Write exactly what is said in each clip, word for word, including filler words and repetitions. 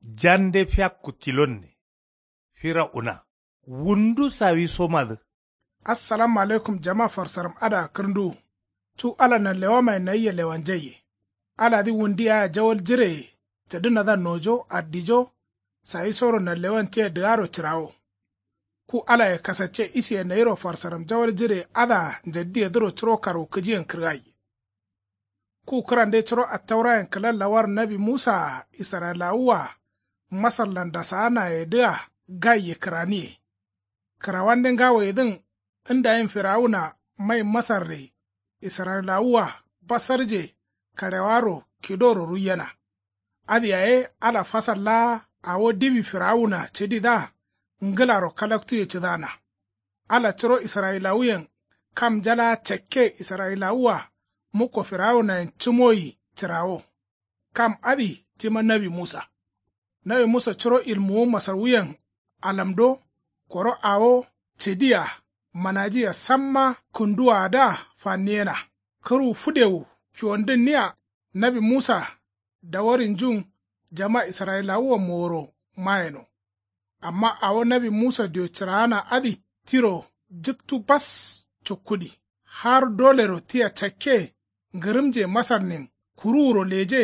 Jande fiakku tilonne. Fira una. Wundu sawisomadǝ. Assalamu alaikum jama farsaram adǝa kǝrnduwu. Cu ala nanlewamaye nayia lewanjaiye. Aladǝ wundi yea jawal jireye. Cadǝnadǝa nojo addijo. Sawisoro nanlewan tia dǝgaro cǝrawo. Ku alaye kasacce isiye nayiro farsaram jawal jireye adǝa njaddiyedǝro curo karwukǝjiyen kǝrgaiye. Ku kǝrande curo attaurayen kǝla lawar nawi musaa israyilawuwaa masarlan dasaanayedǝa gaiye kǝraniye. Kǝrawande ngawoyedǝn ndayin firawuna mai masarre israyilawuwa basarje karewaro kidoro ruiyena. Adǝ yaye ala fasal laa awo diwi firawuna cǝdidǝa ngǝlaro kalaktuye cǝdana. Ala curo israyilawuyen kamnja laa cakke israyilawuwa mukko firawunayen cǝmoyi cǝrawo. Kam adǝ tima nawi musa. Nawi musa curo ilmuwu masarwuyen alamdo koro awo cǝdia manajiya samma kǝnduwaadǝa fanniyena. Kǝrwu fǝdewu fiwondǝnniya nawi musa dawarinjun jama israyilawuwa moworo mayeno. Amma awo nawi musa dio cǝraana adǝ tiro jǝktu bas cukkudi. Har dolero tia cakke ngǝrǝmje masarnin kuruwuro leje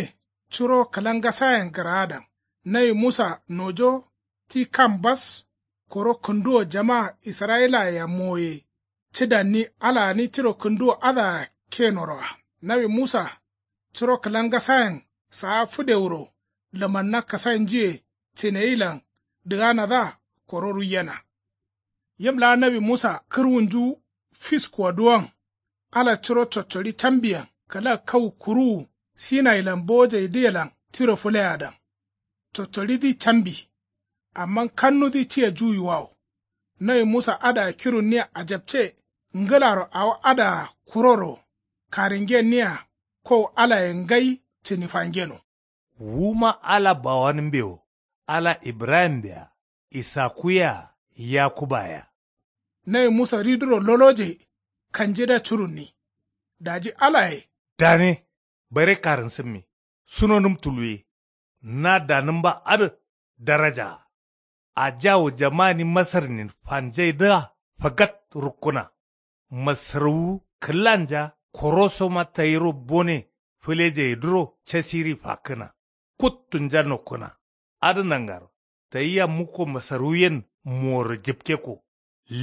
curo kǝlangasayen gǝraadan. Nawi musa nojo ti kam bas koro kǝnduwo jama israyilayea moye. Cǝdanni alagǝni tiro kǝnduwo adǝa kenoroa. Nawi musa curo kǝlangasayen saa fǝdewuro lǝmanna kasainjuye cineyilan dǝganadǝa koro ruiyena. Yim laa nawi musa kǝrwunju fiskuwa duwon. Ala curo coccoɍi cambiyen kǝla kau kuruwu sinayilan bojeidǝyelan tiro fǝleyadan. Coccoɍidǝ cambi. Amma kannudǝ tia juwiwawo. Nawi musa adǝa kirunniya ajapce ngǝlaro awo adǝa kuroro karingenniya. Kow alaye ngai cǝnifangeno. Wuma ala bawanǝmbewo ala ibrahimbea isakuwea yakubaya. Nawi musa riduro loloje kanjidǝa curunni. Daji alaye dane bare karǝnsǝmmi sunonǝm tuluwe. Na danǝmba adǝ darajaa. Ajawu jamani masarnin fanjaidǝa fagat rukkuna. Masarwu kǝlanja korosoma tayiro bone fǝlejeidǝro casiri fakkǝna. Kuttunja nokkǝna. Adǝ nangaro tayia mukko masarwuyen moworo jǝpkekko.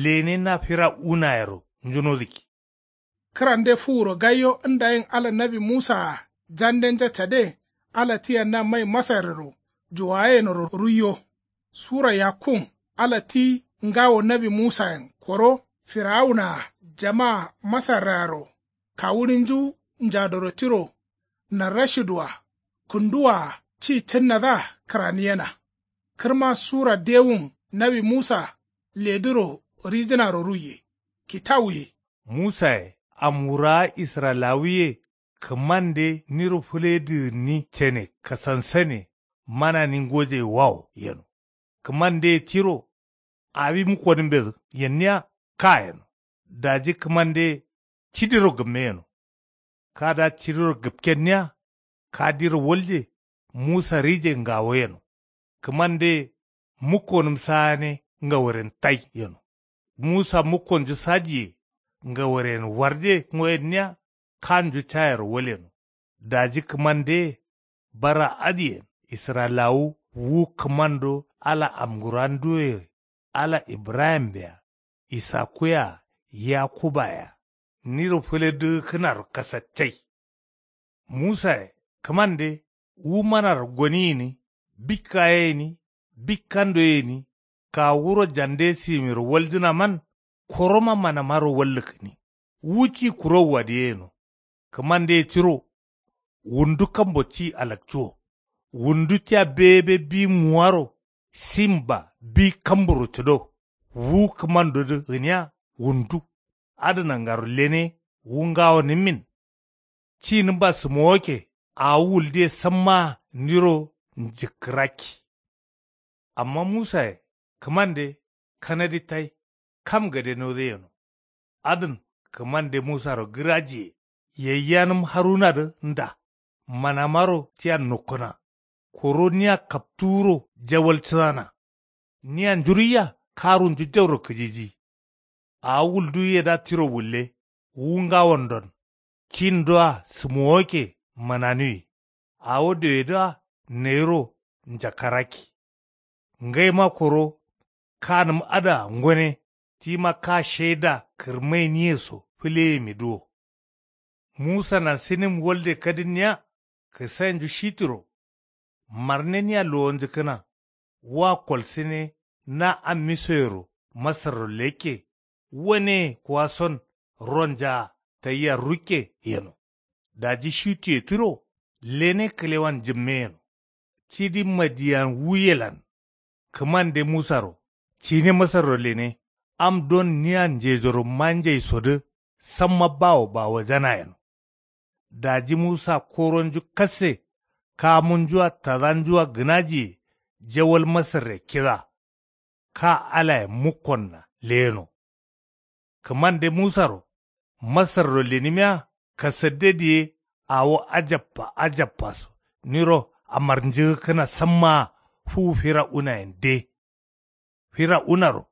Lene na firawunayero njunodǝkki. Kǝrande fuwuro gaiyo ndayin ala nawi musaa jandenja cade. Ala tia na mai masarrero juwayenoro ruiyo. Sura yakkun ala ti ngawo nawi musayen koro firawunaa jamaa masarraro kawuɍinju njadoro tiro narrashidǝwa kǝnduwaa ci cǝnnadǝa kǝraniyena. Kǝrma sura dewun nawi musa ledǝro rijǝnaro ruiye kitawuye. Musaye amwurawa israyilawuye kǝmande niro fǝledǝgǝnni cene kasansane manani ngojaiwawo yeno. Kǝmandeye tiro awi mukkonǝmbedǝ yenniya ka yeno. Daji kǝmandeye cidiro gǝmme yeno. Kadǝa cidiro gǝpkenniya kadiro walje musa rije ngawo yeno. Kǝmandeye mukkonǝm saane ngaworen tai yeno. Musa mukkonju sajiye ngaworen warje ngoyenniya kanju cayero walyeno. Daji kǝmandeye bara adǝyen israyilawu wu kǝmando ala amguranduwe. Ala ibrahimbea isakuwea yakubaya niro fǝledǝgǝkkǝnaro kasaccai. Musaye kǝmande wu manaro goni gǝni bikka ye gǝni bikkando ye gǝni kawu wuro jande simiro waljǝnaman koroma manamaro wallǝkkǝni. Wu ci kurowu adǝ yeno. Kǝmandeye tiro wundu kambo ti alakcuwo. Wundu tia bebe bi muwaro simba bi kamburo cǝdo. Wu kǝmandodǝ gǝniya wundu. Adǝ nangaro lene wu ngawonǝmmin. Cinǝmba sǝmowokke awo wuldiye sammaa niro njǝkkǝrakki. Amma musaye kǝmande kanadi tai kam gade nodǝ yeno. Adǝn kǝmande musaro gǝrajiye yayyanǝm harunadǝ nda manamaro tia nokkǝna. Koro niya kaptuwuro jawal cǝdana. Niya njuruiya karunju jauro kǝjiji. Awo wulduwuyedǝa tiro wulle. Wu ngawondon. Kindoa sǝmowokke mananuwi. Awo dewedǝa nayiro njakarakki. Ngaima koro kanǝm adǝa ngone. Tima ka shaida kǝrmainiye so fǝleyemidǝ wo. Musanan sinim walde kadǝnniya. Kǝsainju shitiro. Marneniya lowonjǝkkǝna. Wa kolsǝne na ammisoyero masarro lekke. Waneye kuwason ronjaa tayia rukke yeno. Daji shituye tiro lene kǝlewan jǝmme yeno. Cidi madiyan wuyelan. Kǝmande musaro cine masarro lene. Am don niya njejoro manjaisodǝ samma bawo bawojana yeno. Daji musa koronju kasse kamunjua tadanjua gǝnajiye jawal masarre kida. Ka alaye mukkonna leyeno. Kǝmande musaro masarro lenimiya kasadde diye. Awo ajabba ajabbaso niro amarnjǝgǝkkǝna sammaa fuwu fira'unayen de. Fira'unaro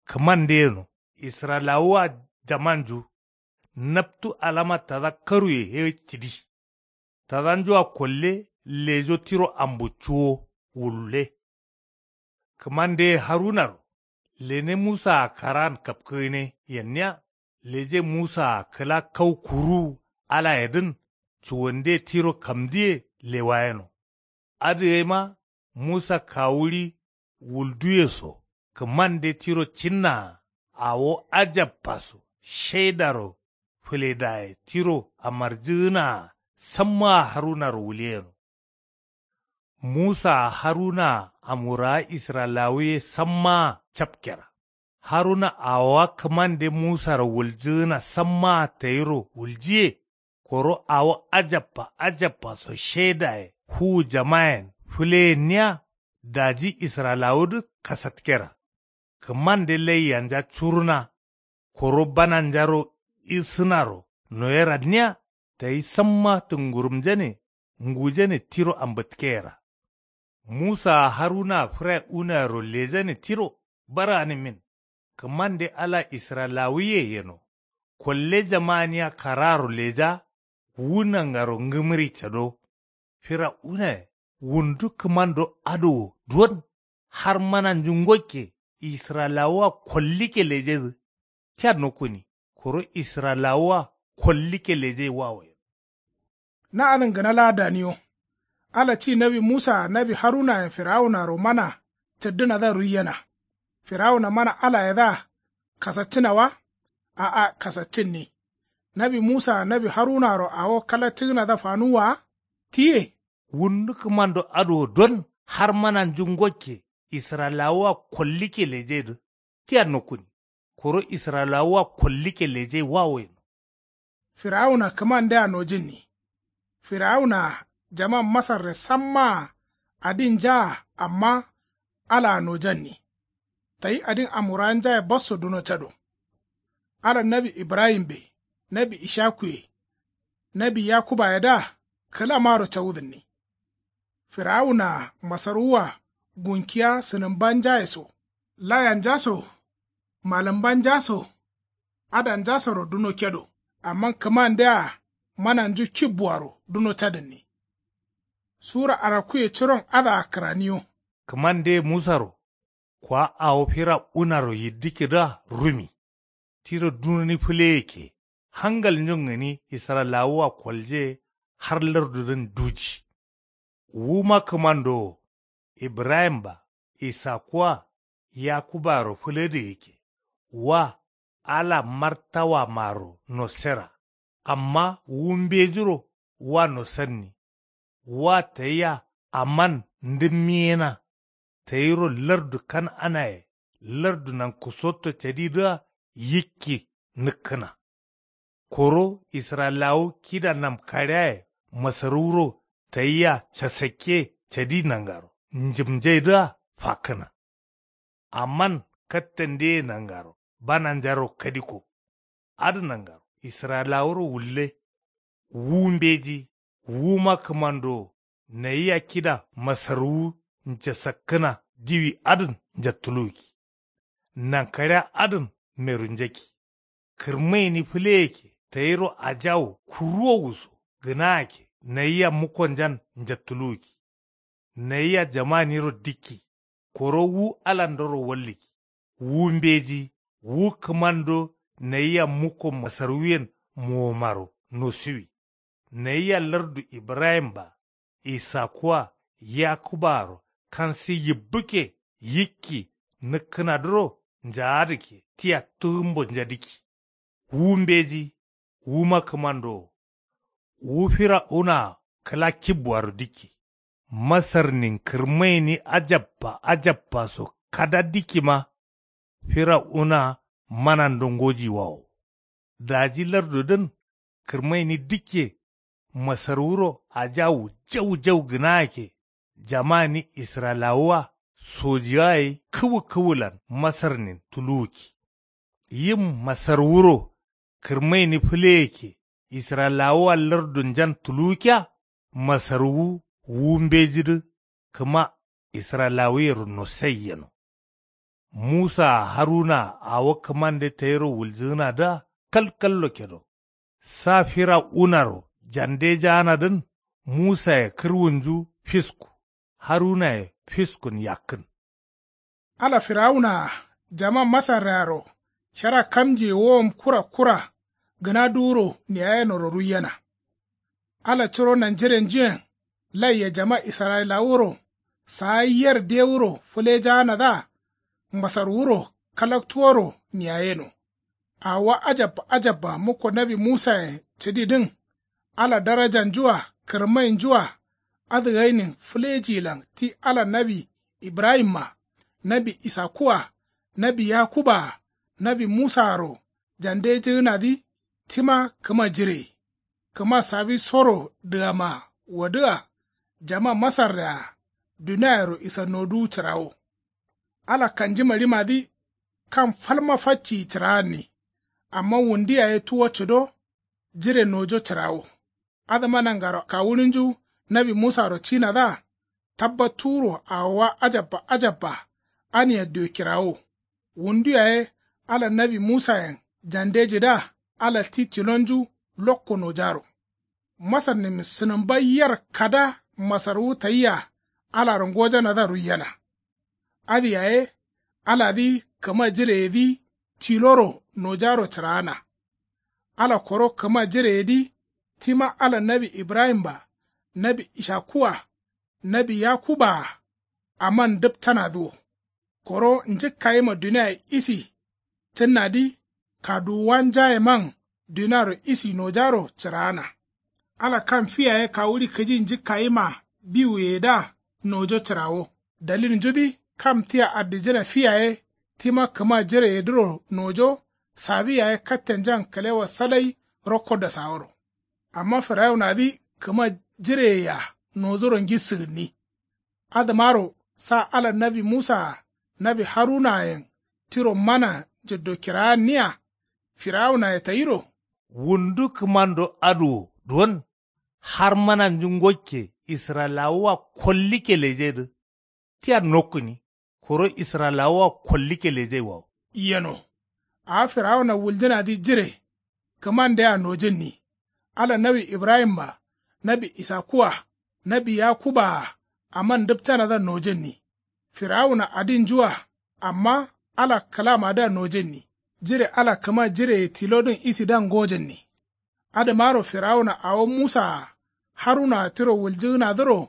kǝmande yeno. Israyilawuwa jamanju naptu alama tada karuye ye cidi. Tadanjua kolle lejo tiro ambu cuwo wulle. Kǝmandeye harunaro lene musaa karaan kapkǝgǝne yenniya. Leje musaa kǝla kau kuruwu alayedǝn cuwande tiro kamdǝye lewayeno. Adǝ gaima musa kawuɍi wulduye so kǝmande tiro cinnaa. Awo ajabba so shaidaro fǝledaye tiro amarjǝgǝnaa sammaa harunaro wuliyeno. Musaa harunaa amwurawa israyilawu ye sammaa capkera. Haruna awowa kǝmande musaro wuljǝgǝna sammaa tayiro wuljiye. Koro awo ajabba ajabba so shaidaye fuwu jamayen fǝleyenniya. Daji israyilawudǝ kasatkera. Kǝmande laiyanja curuna. Koro bananjaro isǝnaro noyeranniya. Tayi samma tǝngurumjane ngujane tiro ambǝtkeyera. Musaa harunaa fǝrai unaro lejane tiro baraanǝmin. Kǝmande ala israyilawuye yeno. Kolle jamaniya karaaro leja. Wu nangaro ngǝmǝri cado. Fira'unaye wundu kǝmando adǝ wo duwon. Har mananju ngokke israyilawuwa kollikke lejedǝ. Tia nokkuni koro israyilawuwa kollikke leje wawo yeno. Na adǝn gǝna laa daniyo. Ala ci nawi musaa nawi harunayen firawunaro mana cǝddǝnadǝa ruiyena. Firawuna mana alayedǝa kasaccǝna wa? A'a kasaccǝnni. Nawi musaa nawi harunaro awo kalaccǝgǝnadǝa fanuwwa wa? Tiye. Wundu kǝmando adǝ wo don har mananju ngokke israyilawuwa kollikke lejedǝ. Tia nokkuni koro israyilawuwa kollikke leje wawo yeno. Firawuna kǝmandea nojǝnni. Firawunaa jaman masarre sammaa adin njaa amma alaa nojanni. Tayi adin amwurawanjaye basso duno cado. Alan nawi ibrahimbe nawi ishakuye nawi yakubayedǝa kǝlamaro cawudǝnni. Firawunaa masaruwwa gunkiya sǝnǝmbanjaye so layanjaso malǝmbanjaso adanjasoro duno kedo. Amma kǝmandea mananju kibbuaro duno cadǝnni. Sura arakkuye curon adǝa kǝraniyo. Kǝmande musaro kwa awo fira'unaro yiddikkedǝa rumi. Tiro dunoni fǝleyekke hangalnjun gǝni israyilawuwa kolje. Har lardudǝn duji. Wuma kǝmando wo ibrahim-a isakku-a yakuba-aro fǝladiyekke. Wa ala martawamaro nossera. Amma wu mbejiro wa nosanni. Wa tayia aman ndǝmmiyena. Tayiro lardu kan'anaye lardu nankusotto cadidǝa yikki nǝkkǝna. Koro israyilawu kida namkaɍeaye masarǝwuro tayia casakke cadi nangaro njǝmnjaidǝa fakkǝna. Amman kattandeye nangaro bananjaro kadikko. Adǝ nangaro israyilawuro wulle. Wu mbeji wuma kǝmando Nayia kida masarwuwu njasakkǝna diwi adǝn njattuluwukki. Nankaɍea adǝn meru njakki. Kǝrmaini fǝleyeke tayiro ajawu kurruwowuso gǝnagake nayia mukkonjan njattuluwukki. Nayia jamaniro dikki. Koro wu alandoro wallǝkki. Wu mbeji wu kǝmando nayia mukko masarwuyen mowomaro nosuwi. Nayia lardu ibrahim-a isaku-a yakuba-aro kansi yibbǝkke yikki nǝkkǝnadǝro njaadǝkke tia tǝgǝmbo njadǝkki. Wu mbeji wuma kǝmandowo. Wu firawuna-a kǝla kibbuaro dikki. Masarnin kǝrmaini ajabba ajabbaso kada dikkima. Firawuna-a manando ngojiwawo. Daji lardudǝn kǝrmaini dikke. Masarwuro ajawu jau jau gǝnagake jamani israyilawuwa sojiwaye kǝwǝ kǝwǝlan masarnin tuluwukki. Yim masarwuro kǝrmaini fǝleyeke israyilawuwa lardunjan tuluwukkiya. Masarwu wu mbejidǝ kǝma israyilawuyero nosai yeno. Musaa harunaa awo kǝmande tayiro wuljǝgǝnadǝa kalkallo kedo. Sa firawunaro jandejaanadǝn musaye kǝrwunju fisku harunaye fiskun yakkǝn. Ala firawunaa jama masarrearo shara kamjiye wowom kura kura gǝna duwuro niyayenoro ruiyena. Ala curo nanjirenjuyen laiye jama israyilawuro saa yer dewuro fǝlejaanadǝa masarwuro kalaktuworo niyayeno. Awowa ajabba ajabba mukko nawi musayen cǝdidǝn ala darajanju-a kǝrmainju-a adǝgainin fǝlejilan ti ala nawi ibrahim-a nawi isaku-a nawi yakuba-a nawi musaaro jandejǝgǝnadǝ tima kǝma jireye. Kǝma sawisoro dǝgama wodǝa jama masarre-a duniayero isanoduwu cǝrawo. Ala kanjimaɍimadǝ kam falma facciyi cǝraanni. Amma wundu yaye tuwo cǝdo jire nojo cǝrawo. Adǝma nangaro kawuɍinju nawi musaro cinadǝa tabbattuwuro awowa ajabba ajabba ania diyo kirawo. Wundu yaye ala nawi musayen jandejidǝa ala ti tilonju lokko nojaro. Masarnin sǝnǝmba yer kada masarwu tayia alaro ngojanadǝa ruiyena. Adǝ yaye aladǝ kǝma jireyedǝ tiloro nojaro cǝraana. Ala koro kǝma jireyedǝ tima ala nawi ibrahim-a nawi ishaku-a nawi yakuba-a aman dǝptanadǝ wo. Koro njǝkkayima duniaye isi cǝnnadǝ kaduwuwanjayeman duniaro isi nojaro cǝraana. Ala kam fi yaye kawuɍi kǝji njǝkkayima biwuyeyedǝa nojo cǝrawo. Dalilnjudǝ kam tia addijǝna fi yaye tima kǝma jireyedǝro nojo sawi yaye kattenjan kǝlewa salai rokko dasaworo. Amma firawunadǝ kǝma jireyeyea nojoro ngissǝgǝnni. Adǝmaro sa ala nawi musaa nawi harunayen tiro mana njǝddo kiraanniya. Firawunaye tayiro wundu kǝmando adǝ wo duwon har mananju ngokke israyilawuwa kollikke lejedǝ tia nokkǝni koro israyilawuwa kollikke lejaiwawo. Yeno awo firawuna wuljǝnadǝ jire kǝmandea nojǝnni. Ala nawi ibrahim-a nawi isaku-a nawi yakuba-a aman dǝpcanadǝa nojǝnni. Firawuna adinju-a amma ala kǝlamadǝa nojǝnni. Jire ala kǝma jireye tilodǝn isidǝa ngojǝnni. Adǝmaro firawuna awo musa-a haruna-a tiro wuljǝgǝnadǝro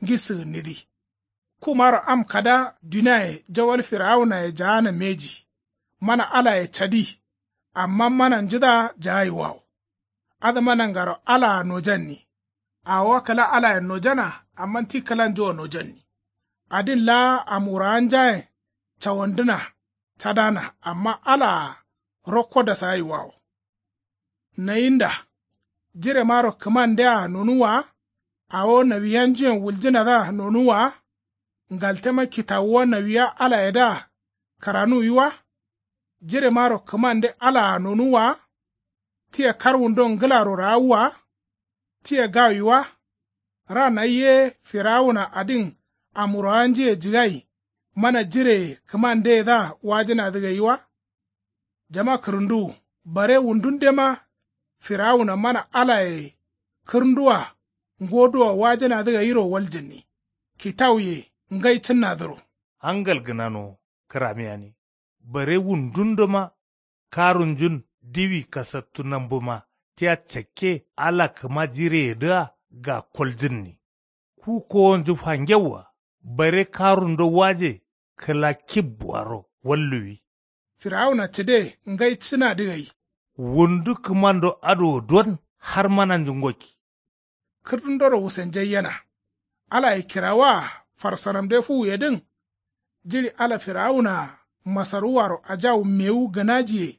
ngissǝgǝnnidǝ. Kumaro am kada duniaye jawal firawunaye jaana mbeji. Mana alaye cadi. Amma mananjudǝa jagaiwawo. Adǝma nangaro alaa nojanni. Awowa kǝla alayen nojana amma ti kǝlanju-a nojanni. Adin laa am wurawanjayen cawandǝna cadana amma alaa rokko dasagaiwawo. Nayinda jiremaro kǝmandea nonuwwa wa? Awo nawiyanjuyen wuljǝnadǝa nonuwwa wa? Ngaltema kitawuwa nawiya alayedǝa karanuwi wa? Jiremaro kǝmande alaa nonuwwa wa? Tia karwundon ngǝlaro raawwa wa? Tia gawi wa? Ra nayi ye firawuna adin amurowanjiye jigai mana jireye kǝmandeyedǝa wajǝnadǝ gai wa? Jama kǝrǝnduwu bare wundundema firawuna mana alaye kǝrǝnduwa ngoduwa wajǝnadǝ gairo waljǝnni kitawuye ngai cǝnnadǝro. Hangal gǝnanowo kǝramiyani bare wundundoma karunjun diwi kasattu nambǝma tia cakke ala kǝma jireyedǝa gakkoljǝnni. Ku kowonju fangewwa bare karundo waje kǝla kibbuaro walluwi. Firawuna cǝde ngai cǝnadǝ gai. Wundu kǝmando adǝ wo don har mananju ngokki. Kǝrdundoro wusenjaiyena alaye kirawaa farsaramde fuwuyedǝn. Jiɍi ala firawunaa masaruwaro ajawu mewu gǝnajiye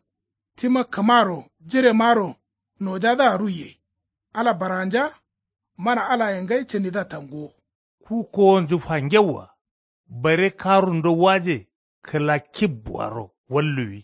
tima kǝmaro jiremaro nojadǝa ruiye. Ala baranja mana alaye ngai cǝnidǝa tanguwo. Ku kowonju fangewwa bare karundo waje kǝla kibbuaro walluwi.